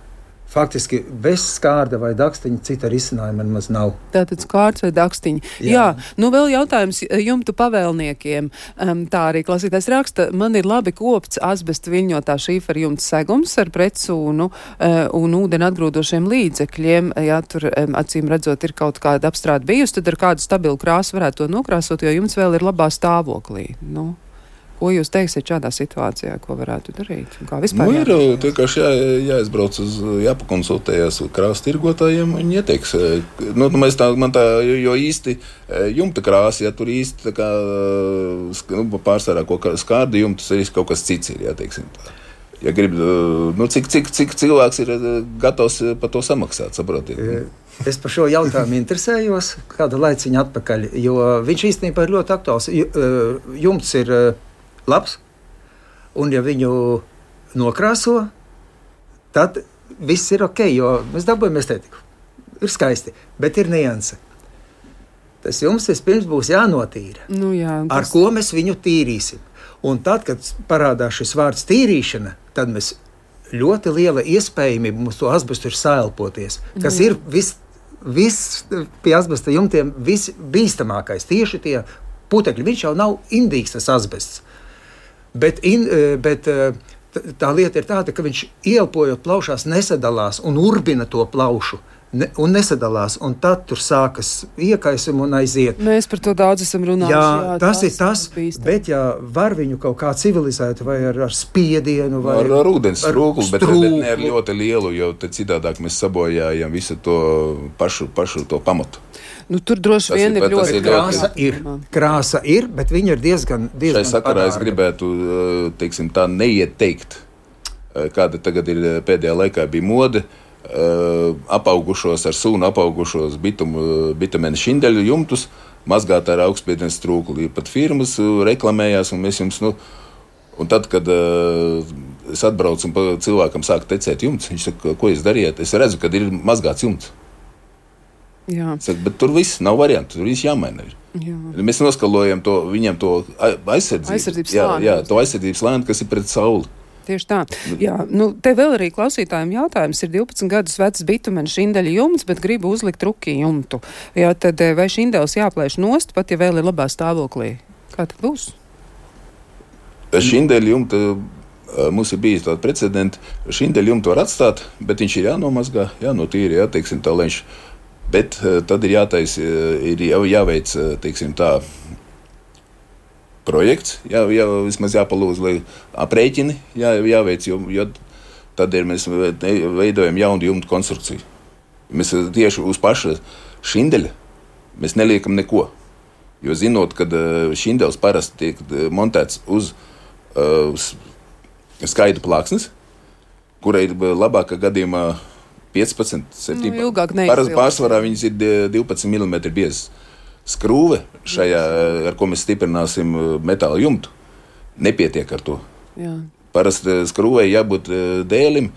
C: faktiski bez skārda vai dakstiņa cita risinājuma nemaz nav.
B: Tātad skārds vai dakstiņa. Jā, nu vēl jautājums jumtu pavēlniekiem. Tā arī klausītājs raksta, man ir labi kopts asbesta viļņotā šīfera jumta segums ar pretsūnu un ūdeni atgrūdošiem līdzekļiem. Ja tur acīm redzot ir kaut kāda apstrāde bijusi, tad ar kādu stabilu krāsu varētu to nokrāsot, jo jumts vēl ir labā stāvoklī. Nu. Ko jūs teiksiet šādā situācijā, ko varētu darīt? Kā vispār
A: ir vienkārši jāizbrauc jāpakonsultējas krāsa tirgotājiem, viņi ieteiks. Jo īsti jumta krāsa, ja tur īsti tā kā, pārsvarā skārda jumtas, arī kaut kas cits ir, jāteiksim tā. Ja grib, cik cilvēks ir gatavs par to samaksāt, saprotiet?
C: Es par šo jautājumu interesējos kādu laiciņu atpakaļ, jo viņš īstenībā ir ļoti aktuāls. Jumts ir labs, un ja viņu nokrāso, tad viss ir ok, jo mēs dabūjam estētiku. Ir skaisti, bet ir nianse. Tas jums vispirms būs jānotīra.
B: Nu, jā,
C: ar ko mēs viņu tīrīsim. Un tad, kad parādās šis vārds tīrīšana, tad mēs ļoti liela iespējamība mums to asbestu ir saelpoties, kas ir viss pie asbesta jumtiem visbīstamākais. Tieši tie putekļi, viņš jau nav indīgs tas asbests. Bet tā lieta ir tāda, ka viņš ieelpojot plaušās nesadalās un urbina to plaušu. Un nesadalās, un tad tur sākas iekaisumi un aiziet.
B: Mēs par to daudz esam runājuši.
C: Jā, tas ir tas, bet ja var viņu kaut kā civilizēt vai ar spiedienu vai
A: ar ūdens strūklu, bet ne ar ļoti lielu, jo tad citādāk mēs sabojājam visu to pašu to pamatu.
B: Nu, tur droši vien ir ļoti
C: krāsa ir, bet viņa ir diezgan
A: šai sakarā es gribētu, teiksim, tā neieteikt, kāda tagad ir pēdējā laikā bija mode, apaugušos ar sūnu, apaugušos bitumēnu šindeļu jumtus, mazgāt ar augstspiediens strūkli. Pat firmas reklamējās, un mēs jums, un tad, kad es atbraucu un cilvēkam sāku tecēt jumts, viņš saka, ko jūs darījāt? Es redzu, kad ir mazgāts jumts.
B: Jā.
A: Saka, bet tur viss nav variantu, tur viss jāmaina.
B: Jā.
A: Mēs noskalojam viņam to
B: aizsardzības slāni.
A: Jā, to aizsardzības slāni, kas ir pret sauli.
B: Tieši tā. Jā, te vēl arī klausītājiem jautājums ir 12 gadus vecs bitumena šindeļa jumts, bet gribu uzlikt ruki jumtu. Jā, tad vai šindels jāplēš nost, pat ja vēl ir labā stāvoklī? Kā tad būs?
A: Šindeļa jumta, mums ir bijis tāda precedenta, šindeļa jumtu var atstāt, bet viņš ir jānomazgā, jānotīra, jāteiksim tā, lai viņš. Bet tad ir jāveic, teiksim tā, projekts, vismaz jāpalūdz, lai aprēķini jāveic, jo tad mēs veidojam jaunu jumtu konstrukciju. Mēs tieši uz paša šindeļa mēs neliekam neko, jo zinot, kad šindels parasti tiek montēts uz skaidru plāksnes, kurai ir labākā gadījumā 15, 17. Pārsvarā viņas ir 12 mm biezas. Skrūve šajā, ar ko mēs stiprināsim metāla jumtu, nepietiek ar to.
B: Jā.
A: Parasti skrūvei jābūt dēlim,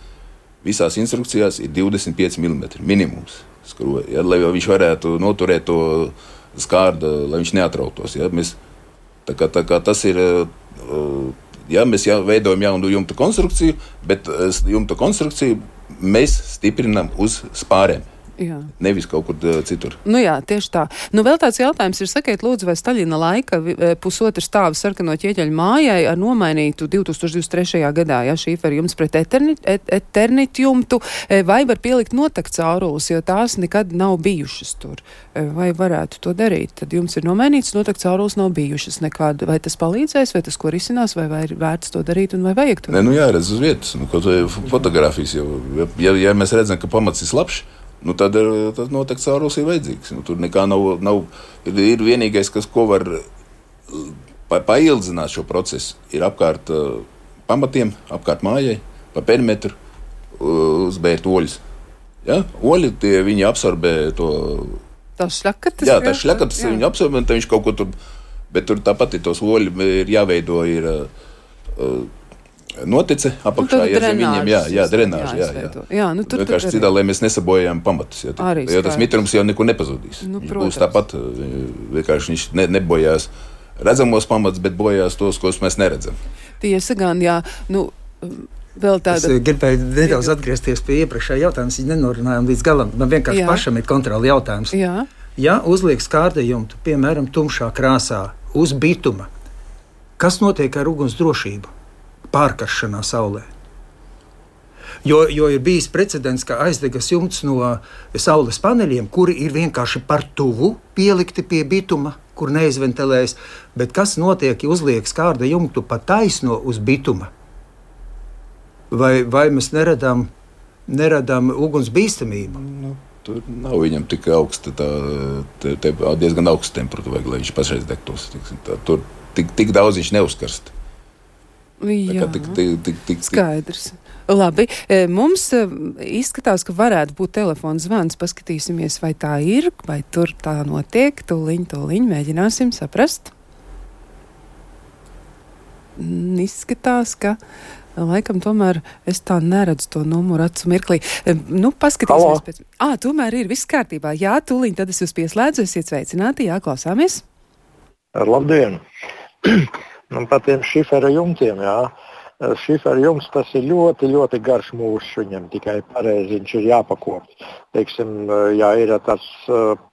A: visās instrukcijās ir 25 mm minimums skrūvei, ja, lai viņš varētu noturēt to skārdu, lai viņš neatrautos. Ja. Tā kā tas ir, ja, mēs veidojam jaunu jumta konstrukciju, bet jumta konstrukciju mēs stiprinām uz spārēm.
B: Jā.
A: Nevis kaut kur citur.
B: Nu jā, tieši tā. Nu vēl tāds jautājums ir, sakiet lūdzu, vai Staļina laika pusotru stāvu sarkano ķieģeļu mājai ar nomainītu 2023. gadā, ja šīferi jumts pret eternit jumtu, vai var pielikt notek caurules, jo tās nekad nav bijušas tur. Vai varētu to darīt? Tad jums ir nomainīts, notek caurules nav bijušas nekad. Vai tas palīdzēs, vai tas ko risinās, vai ir vērts to darīt un vai vajag to?
A: Ne, nu jāredz uz vietas. Kaut fotogrāfijas jau. Ja mēs redzam, ka pamats ir slapšs, nu tad noteikti caurules ir vajadzīgs. Nu, tur nekā nav. Ir vienīgais, ko var paildzināt šo procesu, ir apkārt pamatiem, apkārt mājai, pa perimetru uzbērt oļus. Ja? Oļi, viņi absorbē to.
B: Tās šļakatas?
A: Jā, tās šļakatas viņi absorbē, un viņš kaut ko tur. Bet tur tāpat ir tos oļi, ir jāveido, ir notice apakšā, ja zem viņiem, drenāža,
B: jā. Nu, tur
A: vienkārši citādi, lai mēs nesabojājam pamatus, jo tas mitrums jau nekur nepazudīs.
B: Nu,
A: viņš būs tāpat, vienkārši viņš nebojās redzamos pamatus, bet bojās tos, ko mēs neredzam.
B: Tiesa gan, jā, nu, vēl tāda.
C: Es gribēju nedaudz atgriezties pie iepriekšējā jautājuma, viņi nenorunājām līdz galam, man vienkārši pašam ir kontroli jautājums.
B: Jā.
C: Ja uzliek skārdējumtu, piemēram, tumšā krāsā, uz bituma, kas notiek ar uguns drošību? Pārkaršanā saulē. Jo ir bijis precedents, ka aizdegas jumts no saules paneļiem, kuri ir vienkārši par tuvu pielikti pie bituma, kur neizventilējas, bet kas notiek, ja uzliek skārda jumtu pa taisno uz bituma? Vai mēs neradām uguns bīstamību?
A: Nu, tur nav viņam tik augsta, diezgan augsta temperatūra, lai viņš pašreiz degtos. Tur tik daudz viņš neuzkarst.
B: Jā, skaidrs. Labi, mums izskatās, ka varētu būt telefona zvans. Paskatīsimies, vai tā ir, vai tur tā notiek. Tūliņ, mēģināsim saprast. Izskatās, ka laikam tomēr es tā neredzu to numuru acu mirklī. Nu, paskatīsimies pēc. Tomēr ir viss kārtībā. Jā, tūliņ, tad es jūs pieslēdzu, esiet sveicināti, jā, klausāmies.
E: Labdien! Nu, par tiem šifera jumtiem, jā. Šifera jumts, tas ir ļoti, ļoti garš mūrs viņam, tikai pareizi viņš ir jāpakopt. Teiksim, ja ir tāds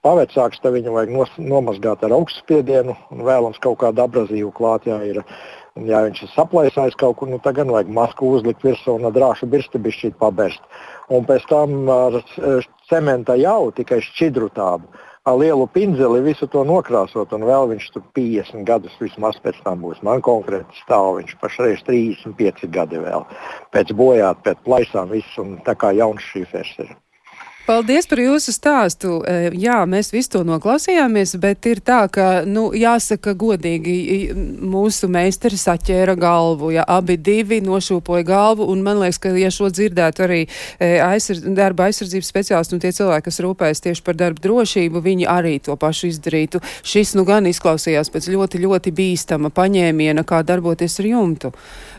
E: pavecāks, tad viņu vajag nomazgāt ar augstspiedienu un vēlams kaut kādu abrazīvu klāt, ja viņš ir saplaisājis kaut kur, nu tagad vajag masku uzlikt virsū un drāšu birsti bišķīt paberst. Un pēc tam ar cementa jau tikai šķidru tādu. Ar lielu pindzeli visu to nokrāsot, un vēl viņš tur 50 gadus vismaz pēc tam būs. Man konkrēti stāv viņš pašreiz 35 gadi vēl. Pēc bojāt, pēc plaisām viss, un tā kā jauns šīfers ir.
B: Paldies par jūsu stāstu. Jā, mēs visu to noklausījāmies, bet ir tā, ka, jāsaka godīgi, mūsu meistari saķēra galvu, ja abi divi nošūpoja galvu, un man liekas, ka, ja šo dzirdētu arī darba aizsardzības speciālisti un tie cilvēki, kas rūpējas tieši par darba drošību, viņi arī to pašu izdarītu. Šis gan izklausījās pēc ļoti, ļoti bīstama paņēmiena, kā darboties ar jumtu.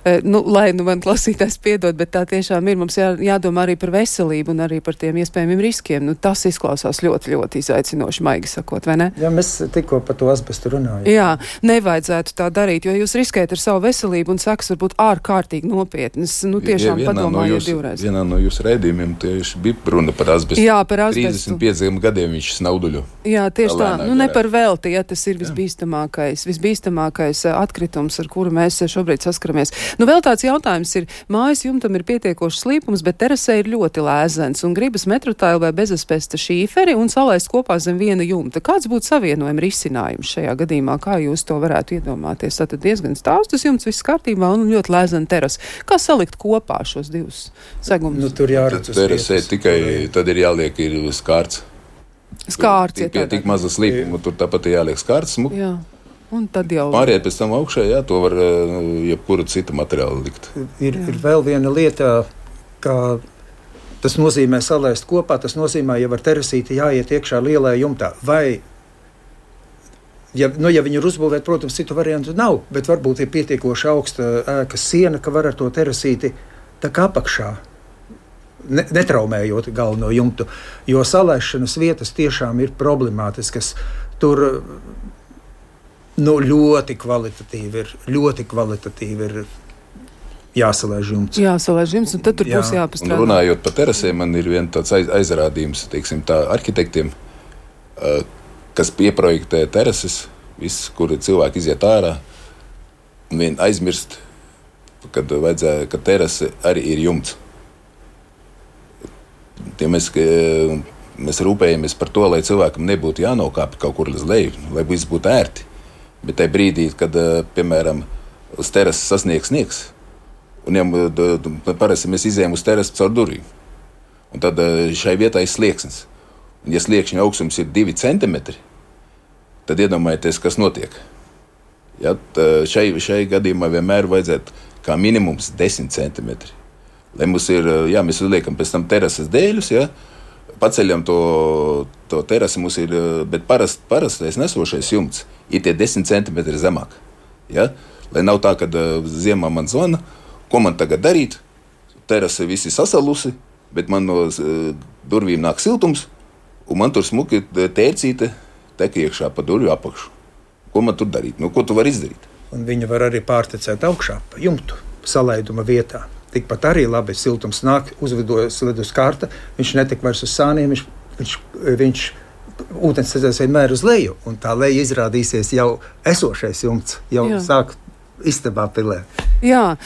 B: Lai man klausītājs piedod, bet tā tiešām ir. Mums jādomā arī par veselību un arī par tiem iespējamiem riskiem. Tas izklausās ļoti, ļoti izaicinoši, maigi sakot, vai ne?
C: Jā, mēs tikko par to asbestu runājam.
B: Jā, nevajadzētu tā darīt, jo jūs riskējat ar savu veselību un sekas varbūt ārkārtīgi nopietnas. Tiešām padomājiet divreiz.
A: Vienā no jūsu raidījumiem tieši bija runa par asbestu.
B: Jā, par asbestu.
A: 35 gadiem viņš snauduļo.
B: Jā, tieši tā. Ne par velti, ja tas ir visbīstamākais atkritums, ar kuru mēs šobrīd saskaramies. Vēl tāds jautājums ir, mājas jumtam ir pietiekošs slīpums, bet terasē ir ļoti lēzens un gribas metrotailu vai bezasbesta šīferi un salaist kopā zem viena jumta. Kāds būtu savienojuma risinājums šajā gadījumā? Kā jūs to varētu iedomāties? Tātad diezgan stāvs tas jumts, viss kārtībā un ļoti lēzena terasa. Kā salikt kopā šos divus segumus?
C: Tur jāredz uz
A: terasē tikai tad ir jāliek skārts.
B: Skārts, ja tādā.
A: Tik maza slīpuma, tur tāpat ir jāliek skārts.
B: Jā. Un tad jau
A: pāriet pēc tam augšā, to var jebkuru citu materiālu likt.
C: Ir vēl viena lieta, ka tas nozīmē salaist kopā, tas nozīmē, ja var terasīti jāiet iekšā lielā jumtā. Vai, ja viņi ir uzbūvēti, protams, citu variantu nav, bet varbūt ir pietiekoši augsta ēkas siena, ka var ar to terasīti tā kā apakšā, netraumējot galveno jumtu, jo salaišanas vietas tiešām ir problemātiskas. Tur ļoti kvalitatīvi ir jāsalaiž jumts.
B: Jāsalaiž jumts, un tad tur būs jāpastrādā.
A: Runājot par terasēm, man ir viens tāds aizrādījums, teiksim, tā arhitektiem, kas pieprojektē terases, viss, kur cilvēki iziet ārā, un vien aizmirst, kad vajadzēja, ka terase arī ir jumts. Ja mēs rūpējamies par to, lai cilvēkam nebūtu jānokāpj kaut kur līdz leju, lai viss būtu ērti. Bet tajā brīdī, kad, piemēram, uz terases sasniegs sniegs, un parasti mēs izējām uz terases caur durvīm, un tad šai vietā ir slieksnis. Un, ja sliekšņa augstums ir 2 centimetri, tad iedomājieties, kas notiek. Ja, šai gadījumā vienmēr vajadzētu kā minimums 10 centimetri. Lai mums ir, mēs uzliekam pēc tam terases dēļus, paceļam to terasi, mums ir, bet parastais nesošais jumts ir tie 10 centimetri zemāk. Ja? Lai nav tā, ka ziemā man zvana, ko man tagad darīt, terase visi sasalusi, bet man no durvīm nāk siltums, un man tur smuki tērcīte tek iekšā pa durvju apakšu. Ko man tur darīt? Ko tu vari izdarīt?
C: Un viņa var arī pārtecēt augšā pa jumtu salaiduma vietā. Tikpat arī labi siltums nāk, uzvidojas ledus kārta, viņš netik vairs uz sāniem, viņš ūdens cezēs vienmēr uz leju, un tā leja izrādīsies jau esošais jumts, jau sāk istabā pilē.
B: Jā,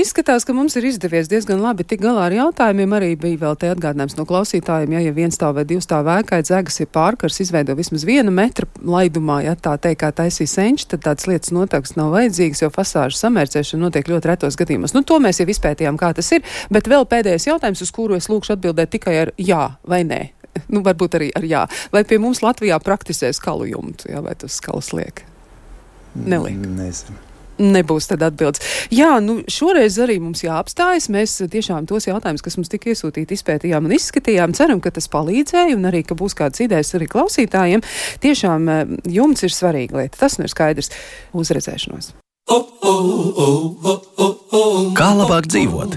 B: izskatās, ka mums ir izdevies diezgan labi tik galā ar jautājumiem. Arī bija vēl te atgādinājums no klausītājiem, ja 1 stāv vai 2 stāv ēkai dzegas ir pārkars, izveido vismaz 1 metra laidumā, ja tā teikt, kā taisīja senči, tad tādas lietas noteikti nav vajadzīgas, jo fasāžu samērcēšana notiek ļoti retos gadījumos. To mēs jau izpētījām, kā tas ir, bet vēl pēdējais jautājums, uz kuru es lūkšu atbildēt tikai ar jā vai nē. Varbūt arī ar jā. Vai pie mums Latvijā praktizē skalu jumtu, vai tas skalas liek? Neliek.
C: Nezinu.
B: Nebūs tad atbildes. Jā, šoreiz arī mums jāapstājas. Mēs tiešām tos jautājumus, kas mums tika iesūtīti, izpētījām un izskatījām. Ceram, ka tas palīdzēja un arī, ka būs kādas idejas arī klausītājiem. Tiešām jumts ir svarīga lieta. Tas ir skaidrs. Uz redzēšanos.
D: Kā labāk dzīvot?